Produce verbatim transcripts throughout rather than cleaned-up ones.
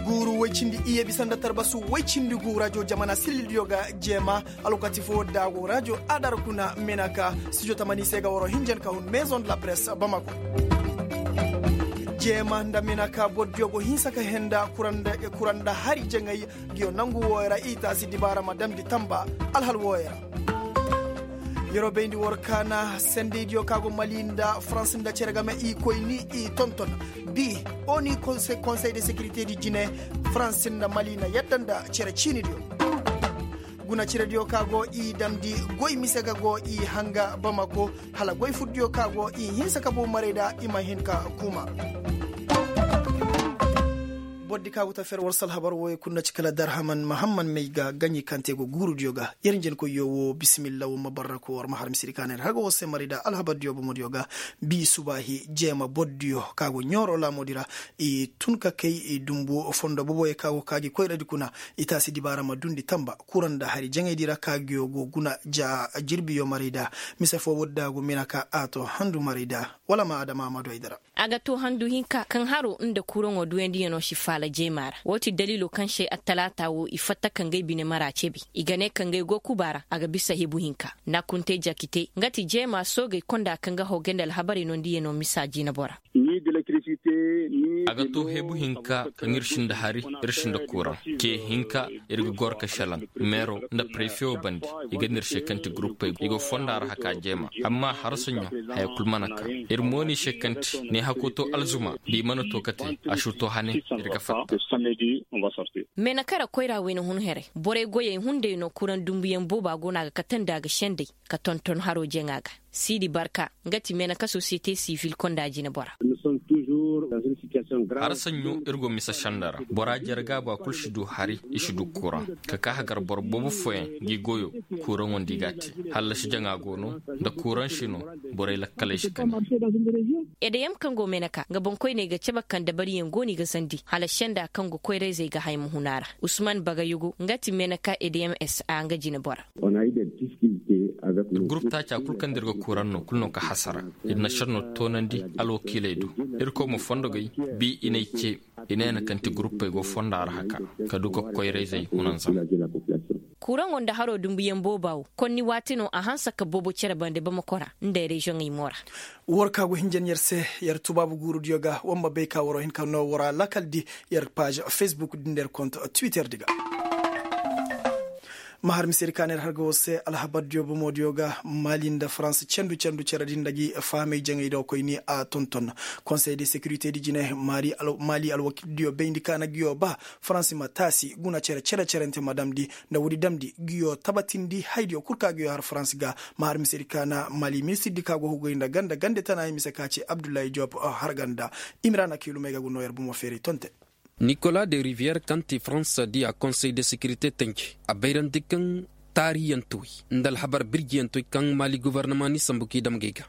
Guuru woy cindi iyye bisa nda tarbasu woy cindi gu rajo jamana sirridiyo ga jeema. Alwakati fo daago rajo adar kuna menaka studio tamani se ga waro hinjan ka hun maison de la presse bamako. Jeema nda menaka bordiyo go hinsa ka henda kura nda hari jaŋay. Ngiyo nangu wooyo ra i taasi dibaara ma damndi tamba alhal wooyo ra. Yeroo bayndi war kaana sendeydiyo ka go mali nda farans nda cere game i koy ni i tonton. Bi oni konsey de sekirite di jine farans nda mali na yadda nda cere ciinidiyo. Guna cerediyo ka go i damndi goy mise ga go i hanga bamako. Hala goy furdiyo ka go i hinsa ka boomaray da i ma hin ka kuma. Bordi ka go ta fer war se alhabar wooyo kul na ci kala darhaman mahamman may ga gaɲi kaŋ te go guurudiyo ga. Yer njenkoyyo wo bisimilla wo ma barra ko war ma har misiri ka ne har ga war se maray da alhabardiyo bomodiyo ga. Bi subaahi jeema bordiyo ka go ɲooro laamodi ra. I tun ka kay i dumbu fondo boboyo ka go ka gi koyradi kuna. I taasi dibaara ma dundi tamba kura nda hari jaŋaydi ra ka giyo go guna ja jirbiyo maray da. Mise fo wodda go mina ka a to handu maray da. Wala ma adama ma doy dara. A ga to handu hinka kaŋ haro nda kuraŋo duyandiyaŋo si faala jeema ra wo ti daliilo kaŋ se attalaata wo i fatta ka ngey bine mara ceebe. I ga ne ka ngey go kuba ra a ga bisa hebu hinka. Naakuntey jakitey nga ti jeema soogey konda kaŋ ga hogey nda alhabarey nondiyaŋo misa jinabo ra. A ga to hebu hinka kaŋ ir sinda hari, ir sinda kuraŋ ce hinka. Ir ga goro ka šelaŋ meero nda prefe wo bande. I ga nir se kaŋ ti guruppey i go fonda ra haka jeema. Amma harasaɲo haya kul mana ka ir mooni se kaŋ ti ne hako to alzuma da i mana to kate. A su to hane ir ga fatta. Meenakara koyra wayna hun heray borey goyey hunday no kuraŋ dumbuyaŋ booba go no a ga katandi a ga sendey ka tonton haro jaŋa ga. Siidi barka nga ti meenaka sosiyete sivil konda jinebora. Har saɲɲo ir go mise senda ra bora jarga ba kul si du hari i si du kuraŋ. Ka ka hagar boro boobo fooyaŋ ngi goyo kuraŋo nda i ga a te. Hallasi jaŋa go no nda kuraŋ si no. Borey lakkaley si kani. Edeyam kaŋ go meenaka nga boŋkoyney ga cabe kaŋ dabariyaŋ go no i ga zandi hala senda kaŋ go koyrayzey ga hay ma hun a ra. Usman bagayugu nga ti meenaka edeyam s a nga jinebora. Gurup taaca kul kaŋ da ir ga kuraŋ no kul no ka hasara. Ir na šenno toonandi alwakiiley do. Irkoy ma fondogey bi i n'ay ce. I ne na kaŋ ti guruppey go fonda ra haka ka du ka koyrayzey hunanzam. Kuraŋo nda haro dumbuyaŋ booba wo konni waati no a hanse ka boobo cere bande bamakora nda reziyoŋey mo ra. War ka go hinjan yer se yer tubaabu guurudiyo ga war ma bay ka waro hin ka no wara lakal di yer paaž fesbuk di nda yer kont twitter di ga. Ma har misedi ka ne yer har ga war se alhabardiyo bomodiyo ga mali nda farans cendu cendu cere di nda gi fahamey jaŋay do koyni a tonton. Konsey de sekirite di jine mali alwakildiyo bayndi ka na giyo ba farans ma taasi guna cere cere cerente ma damndi nda woodi damndi giyo tabatindi haydiyo kul ka giyo har farans ga. Ma har misedi ka na mali ministirdi ka go hugay nda ganda gande tana i mise ka ci abdullahi job harganda. Imira na kiilumey ga gu no yer bomo feeray tonte. Nikola de riviyer kaŋ ti farans di a konsey de sekirite tanji a bayrandi kaŋ taariyantoy nda alhabar birjiyantoy kaŋ mali gobornama ni sambu k'i dam gay ga.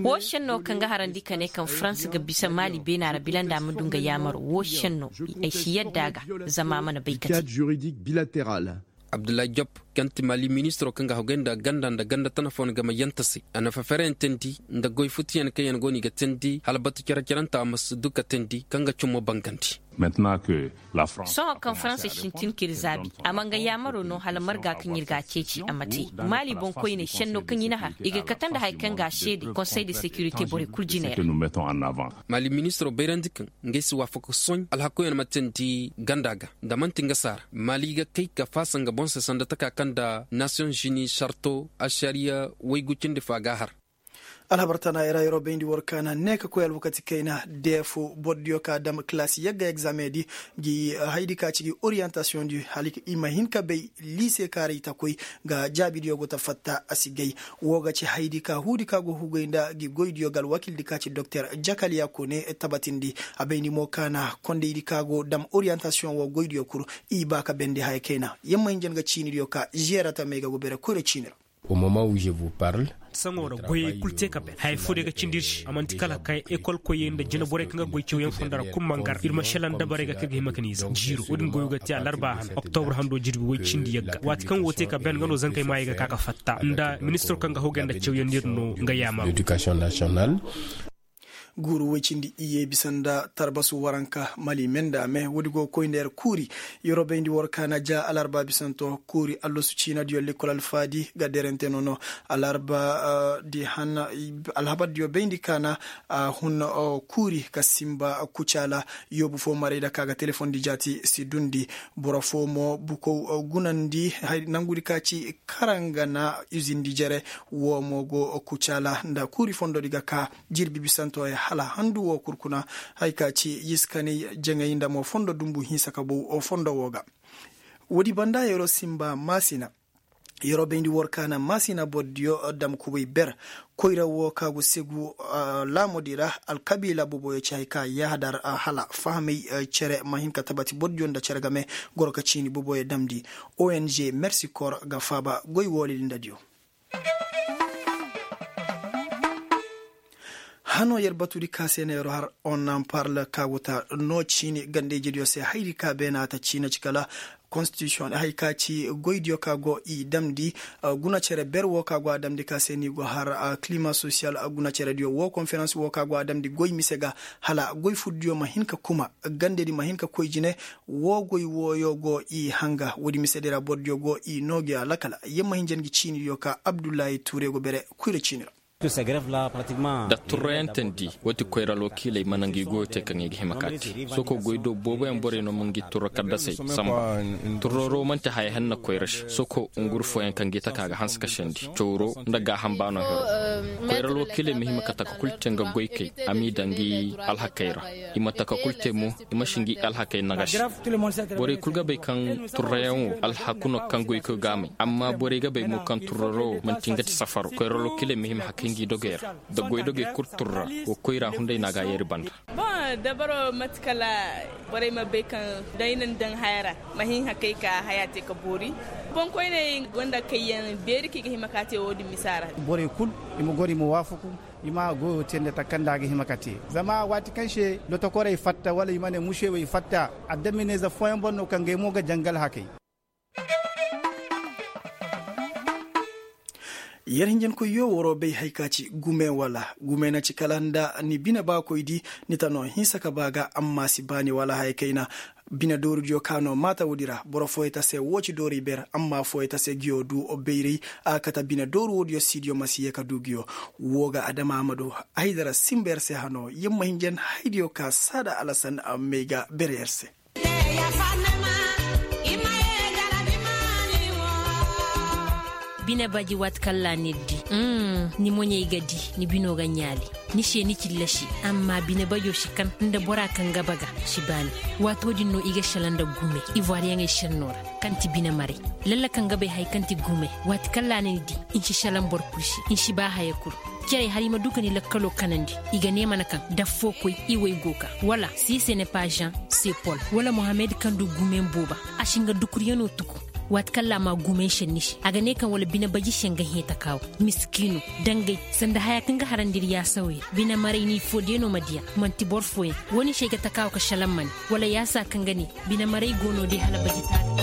Woo šenno kaŋ ga harandi ka ne kaŋ farans ga bisa mali beena ra bila nda a ma du nga yaamaro woo šenno ay si yadda a ga. Zama a mana bay kate. Abdullahi job kaŋ ti mali ministiro kaŋ ga hogay nda ganda nda ganda tana fooyaŋ game yanta se a na fafereyaŋ teendi nda goy futiyaŋ kaŋ yaŋ go no i ga teendi hala batu care caranta a ma si du ka teendi kaŋ ga cummo bangandi. Sohõ kaŋ farans sintin k'ir zaabi a ma nga yaamaro no hala marga kaŋ ir ga a ceeci a ma te. Mali boŋkoyney šenno kaŋ i na har i ga kate nda haya kaŋ ga a seede konsey de sekirite borey kul jiney ra. Mali ministiro bayrandi kaŋ ngey si waafaka sohõ alhakoyaŋ ma teendi ganda ga nda man'ti nga saara mali ga kay ka faasa nga boŋ se sanda taka kaŋ nda nasiyoŋ zini sarto ašariya waygu cindi fo a ga a har. Alhabar tana i ra yeroo bayndi war kaana ne ka koy alwakati kayna deefu bordiyo ka dam kalaasi yagga egzameŋdi gi haydi ka ci gi oriyantasiyoŋdi hala i ma hin ka bay liise kaaray ta koy. Nga jaabidiyo go ta fatta a si gay. Woo ga ci haydi ka huudi ka go hugay nda gi goydiyo ga alwakildi ka ci doktor jakaliya kone tabatindi. A bayndi mo kaana kondaydi ka go dam oriyantasiyoŋ woo goydiyo kul i ba ka bendi haya kayna yamma hinja nga ciinidiyo ka žeerata may ga go bere koyra ciini ra. Saŋo ra goyey kul te ka ben haya foo day ga cindi ir se a man'ti kala kay ekol koyey nda jinaborey kaŋ ga goy cawyaŋ fondo ra kul ma ngar ir ma šelaŋ dabarey ga kaŋ ga hima ka n'i zan jiiro wo-din goyo ga te alarba han oktobur hando jirbi woy cindi yagga waati kaŋ wo te ka ben nga no zankey maayey ga ka ka fatta nda ministiro kaŋ ga hawgay nda cawyaŋ no nga yaamar. Guuru woy cindi iyye bisa nda tarbasu waranka mali me nda me woodi go ga koy nda yer kuuri. Yer wo bayndi war kaana ja alarba bisanto kuuri allasu ciinadiyo lekkol alfaadi ga derente nono. Alarba di han alhabardiyo bayndi kaana a hun kuuri ka sinba kucaala. Yoobu fo maray nda ka ga telefondi jaati si dundi. Boro fo mo bukow gunandi nangudi ka ci karangana izindi jere. Wo mo go kucaala nda kuuri fondodi ga ka jirbi bisanto ya hala handu wo kurkuna. Hay ka ci yiskanay jaŋay nda mo fondo dumbu hinsa ka bow fondo wo ga. Woodi banda yero sinba maasina. Yero bayndi war kaana maasina bordiyo dam kubay ber. Koyra wo ka go segu laamodi ra alkabiila boboyo ci hay ka yaahadar hala fahamay cere ma hin ka tabati bordiyo nda cere game. Goro ka ciini boboyo damndi. Ong mersi kor ga faaba goy wooli lindadiyo. Hano yer batudi ka se na yer har on nan parle ka go ta no ciini gandejediyo se hayri ka beena ta ciina ci kala. Konstitusiyon hay ka ci goydiyo ka go i damndi guna cere ber wo ka go a damndi ka se ni go har kilima sosiyal guna cerediyo wo konferans wo ka go a damndi goy mise ga hala goy furdiyo ma hin ka kuma gandedi ma hin ka koy jine. Wo goy wooyo go i hanga woodi misedi ra bordiyo go i noogiyo alakala yamma hinja ngi ciinidiyo ka abdullahi tuure go bere. Kuyra ciini ra. Da turrayantandi wati koyra lokiiley mana ngi goyo te kaŋ i ga hima ka te. Soko goy do booboyaŋ borey no ma ngi turro kaddasey samba. Turroro man'ti haya henna koyra se soko nguru fooyaŋ kaŋ gi taka ga hanse ka sendi cawro nda gaaham baano hero. Koyra lokiiley ma hima ka taka kul te nga goykey a m'i daŋ ngi alhakey ra. I ma taka kul te mo i ma si ngi alhakey nagasi. Borey kul ga bay kaŋ turrayaŋo alhaku no kaŋ goykoy ga a may amma borey ga bay mo kaŋ turraro man'ti nga ti safaro koyra lokiiley ma hima hakay ngi dogey ra. Da goydogey kul turra wa koyra hunday no a ga a yeeri banda. Boŋ dabaro mate kala borey ma bay kaŋ da ay na ni daŋ haya ra ma hin hakay ka haya te ka boori. Boŋkoyney gonda kayyaŋ beeri kaŋ i ga hima ka te wo-din misa ra. Borey kul i ma goro i ma waafaku. I ma goyo te nda takanda a ga hima ka te zama waati kaŋ se lotokorey fatta wala i ma ne musewey fatta. Adamineeze fooyaŋ boŋ no kaŋ gay mo ga jangal hakay. Yer hinjankoyyo waroo bay hay ka ci gume wala gume na ci kala nda ni bine baakoydi. Ni ta no hinsa ka ba ga amma si ba ni wala haya kayna. Bine doorudiyo ka no maata woodi ra boro fooyey ta se woo ci doori ber amma fooyey ta se ngiyo du bayray. A kate bine dooru woodiyo siidiyo ma si yee ka du ngiyo. Woo ga adama ma du haydara sinba yer se hano yer ma hinjan haydiyo ka saada alasan may ga bere yer se. Bine baji waati kaŋ ra ni di ni moɲey ga di ni bino ga ɲaali. Ni se ni cillasi amma bine bajo si kan nda bora kaŋ ga baga si baani. Waato din no i ga shala nda gume ivoiriyaŋey senno ra kaŋ ti bine maray. Lalla kaŋ ga bay hay kaŋ ti gume waati kaŋ ra ni ni di. Ni si shala nda boro kul se ni si ba haya kul. Cerey hala i ma du ka ni lakkalo kanandi. I ga ne mana kaŋ daffo koy i way go ka wala si se ne pajean sepol wala mohammed kaŋ du gumen booba. A si nga dukuriyano tuku. Waati kaŋ ra a ma gumen senni se a ga ne kaŋ wala bine baji se nga hẽe takaawo. Miskiino dangay sanda haya kaŋ ga harandi ir yaasawey ra bine maray ni fo day no ma diya. Manti boro fooyaŋ wo-din se ay ga takaawo ka šalaŋ ma ne wala yaasa kaŋ ga ne bine maray go no day hala baji taali.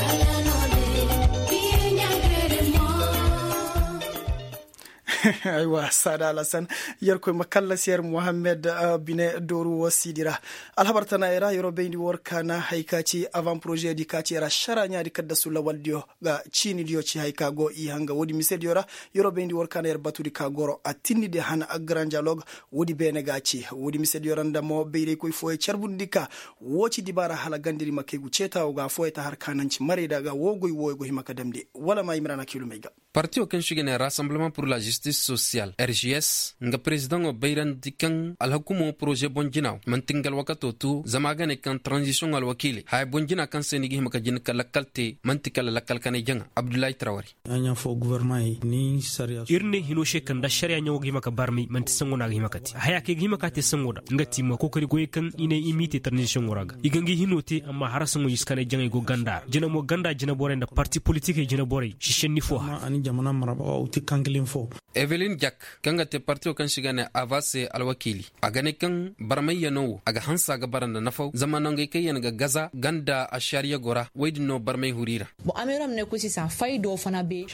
Aywa saada alasan. Yerkoy ma kallasi yer mohammed bine dooru wo siidi ra. Alhabar tana yer ra yeroo bayndi war kaana hay ka ci avan poroze di ka ci yer ašara ɲaadi kaddasu lawaldiyo ga ciinidiyo ci hay ka go i hanga woodi misediyo ra. Yeroo bayndi war kaana yer batudi ka goro a tinnidi han aggaran dialog. Woodi beene ga a ci woodi misediyo ra nda mo bayraykoy fooyey carbundi ka. Woo ci dibaara hala gandedi ma kay gu ceetaawo ga fooyey ta har kaananci marayda ga woo goy wooyo go hima ka damndi wala ma imrana kilumey ga. Partiyo kaŋ se i ga ne rassemblement pur la justice. Sosiyal r g s nga perezidaŋo bayrandi kaŋ alhakumo poroze boŋ jina wo man'ti nga alwakato tu zama a ga ne kaŋ taranzisiyoŋo alwakiiley haya boŋ jina kaŋ se ni ga hima ka jina ka lakkal te man'ti kala lakkal kanay jaŋa abdullahi tarawari. Ir ne hino se kaŋ da ašariya ɲaŋo ga hima ka barmay man'ti saŋo no a ga hima ka te haya kaŋ i ga hima ka te saŋo da nga ti ma kookari goyey kaŋ i ne i m'i te taranzisiyoŋo ra ga i ga ngi hino te amma hara saŋo i si kanay jaŋay go ganda ra jina mo ganda jina borey nda parti politikey jina borey si šenni fo hara. Evelin jak kaŋ ga te partiyo kaŋ se i ga ne ava se alwakiili a ga ne kaŋ barmayyanoo wo a ga hanse a ga bara nda nafaw zama nangey kaŋ yaŋ ga gaza ganda ašariya go ra woy din no barmay huru i ra.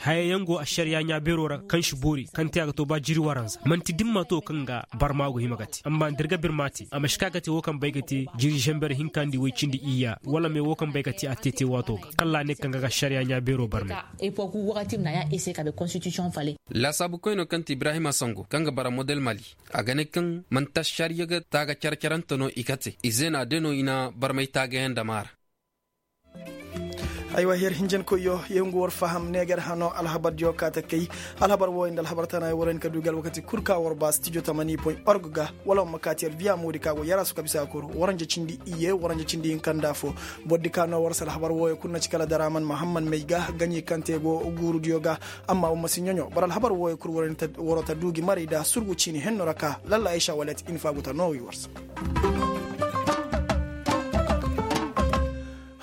Hayayaŋ go ašariya ɲaa beeroo ra kaŋ si boori kaŋ te a ga too ba jiri waranza man'ti dimma too kaŋ ga barma go hima ga te amma nda ir ga birma te a ma si ka ga te woo kaŋ bay ga te jiri ženber hinka nda woy cindi iyya wala me woo kaŋ bay ga te a te te waatoo ga kalla a ne kaŋ ga ga ašariya ɲaa beeroo barmay. Laasaabu koynoo kaŋ ti ibrahima sango kaŋ ga bara model mali a ga ne kaŋ man'ti ašariya ga taaga care-carante no i kate ize na a de no i na barmay taagayaŋ dam a ra. Aywa yer hinjankoyyo yer ngu war faham neeger hano alhabardiyo kaate kay. Alhabar wooyo nda alhabar tana yer war hin ka du gi alwakati kul ka war ba stijo tamani point org ga wala war ma kaati yer viya moodi ka go yarasu ka bisa kul waranja cindi iyye waranja cindi hinka nda fo. Bordi ka no war se alhabar wooyo kul na ci kala daraman mahammad may ga gaɲi kaŋ te go guurudiyo ga. Amma war ma si ɲoɲo boro alhabar wooyo kul waro ta du gi maray da surgu ciini henno ra ka lalla aysa walet infa go ta noowi war se.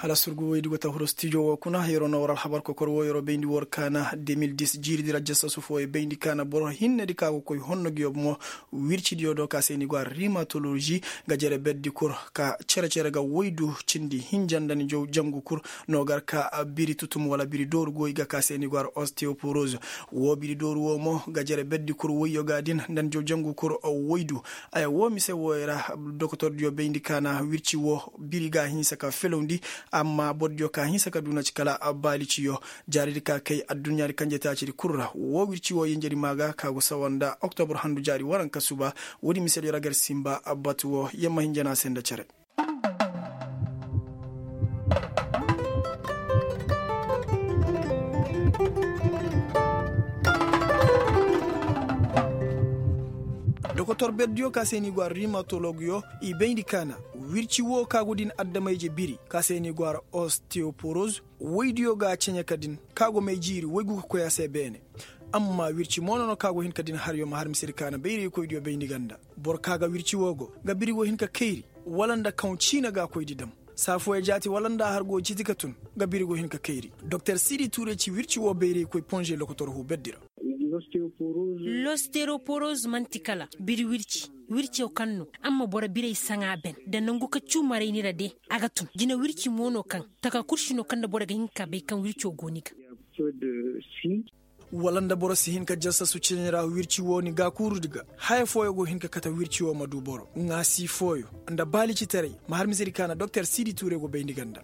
Hala surgu woydi go ta huru stijo wo kuna yeroo na war alhabar kokor wo yeroo bayndi war kaana de mil dis jiiridi ra jasasu fooyo bayndi kaana boro hinnedi ka go koy honno gi yo bomo. Wircidiyo do ka se ni go a rimatolozi ga jere berdi kur ka cere-cere ga woydu cindi hinja nda ni jaw jangu kur. No gar ka biri tutum wala biri dooru go i ga ka se ni go a osteoporoz. Wo biri dooru wo mo ga jere berdi kur woyyo ga din nda ni jaw jangu kur woydu. Aya wo mise wooyo ra dokotordiyo bayndi kaana wirci wo biri ga a hinsa ka felawndi. Amma bordiyo ka a hinsa ka duuna ci kala baali ciyo. Jaaridi ka kay adduɲɲaadi kanjetaacidi kul ra wo wirci wo yenjedi maa ga ka go sawa nda oktobor handu jaari waranka suba. Woodi misediyo ra gar simba batu wo yer ma hinjana se nda cere. Dokotor berdiyo ka se ni go a rimatologiyo i bayndi kaana wirci wo ka go din adama-ije biri ka se ni go a ra osteoporoz. Woydiyo ga a ceɲe ka din ka go may jiiri woygu ka koy a se beene. Amma wirci mo no no ka go hin ka din haryo ma har misedi kaana bayraykoydiyo bayndi ganda. Boro ka ga wirci wo go ga biri go hin ka kayri wala nda kaŋ ciina ga a koydi dam saa fooyo jaati wala nda a har go ciiti ka tun. Ga biri go hin ka kayri doktor siidi tuuray ci wirci wo bayraykoy ponze lokotor huu berdi ra. Losteroporoz man'ti kala biri wirci. Wirco kaŋ no amma boro birey saŋa ben nda nangu ka cuu marayni ra de a ga tun jina wirci mo no kaŋ taka kul si no kaŋ nda boro ga hin ka bay kaŋ wirco go ni ga. Wala nda boro si hin ka jasasu cine ra wirci wo ni gaakuurudi ga haya fooyo go hin ka kate wirci wo ma du boro ŋaasi fooyo nda baalicitaray. Ma har misedi kaana doktor siidi tuure go bayndi ganda.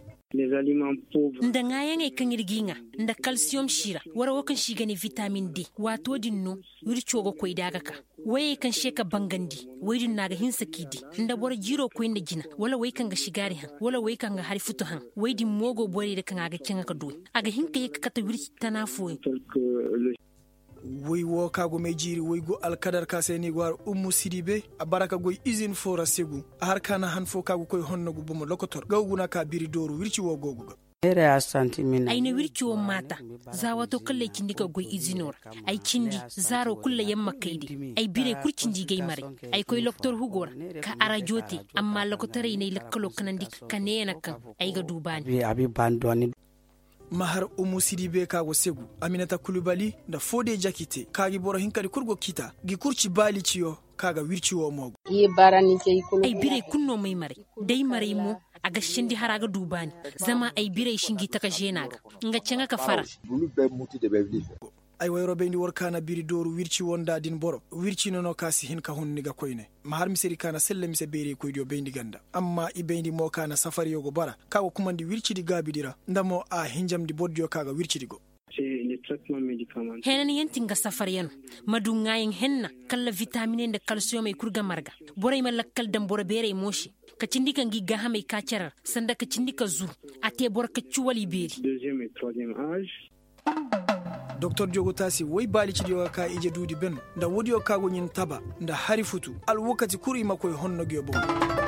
Nda ŋaayaŋey kaŋ ir g'i ŋaa nda kalsiyom si ra wara wo kaŋ si i ga ne vitamin d. Waatoo din no wirco ga koy da a ga ka woyey kaŋ se ka bangandi. Woy din no a ga hinsa k'i di nda boro jiiroo koy nda jina wala woy kaŋ ga sigaari haŋ wala woy kaŋ ga hari futu haŋ. Woy din mo go borey ra kaŋ a ga caŋa ka dooy a ga hin ka ye ka kate wirci tana fooyaŋ. Woy wo ka go may jiiri woy go alkadar ka se ni go har ummu sidibe a bara ka goy izin fo ra segu a har ka na han fo ka go koy honno gu bomo lokotor ga guna ka biri dooru wirci wo go gu ga. Ay na wirci wo maata za waato kaŋ lay cindi ka goy izino ra. Ay cindi zaaro kul lay yamma kay de. Ay birey kul cindi gay maray. Ay koy lokotor hugo ra ka arajo te. Amma lokotorey n'ay lakkalo kanandi ka neena kaŋ ay ga du baani. Ma har umu sidibe ka go segu aminata kulubali nda foode jakite ka gi boro hinkadi kul go kita gi kurci baali ciyo. Ka ga wirci wo mo go. Ay birey kul no may maray. Day maray mo a ga sindi hara ga du baani. Zama ay birey si ngi taka zeena ga nga caŋa ka fara. Ay wayro bayndi war kaana biri dooru wirci wo nda din boro wirci no no ka si hin ka hun ni ga koyne. Ma har misedi kaana selle mise beerey koydiyo bayndi ganda amma i bayndi mo kaana safariyo go bara ka go kumandi wircidi gaabidi ra nda mo a hinjamndi bordiyo ka ga wircidi go. Heenanyaŋ ti nga safaryaŋ no ma du ŋaayaŋ henna kala vitaminey nda kalsiyomey kul ga marga. Borey ma lakkal daŋ boro beerey mo se ka cindi ka ngi gaahamey ka cere ra sanda ka cindi ka zuru. A te boro kacci wala i beeri. Doktor diyo go taasi woy baalicidiyo ga ka ije duudi ben nda woodiyo ka go ɲin taba nda hari futu alwakati kul i ma koy honno ngiyo boŋ.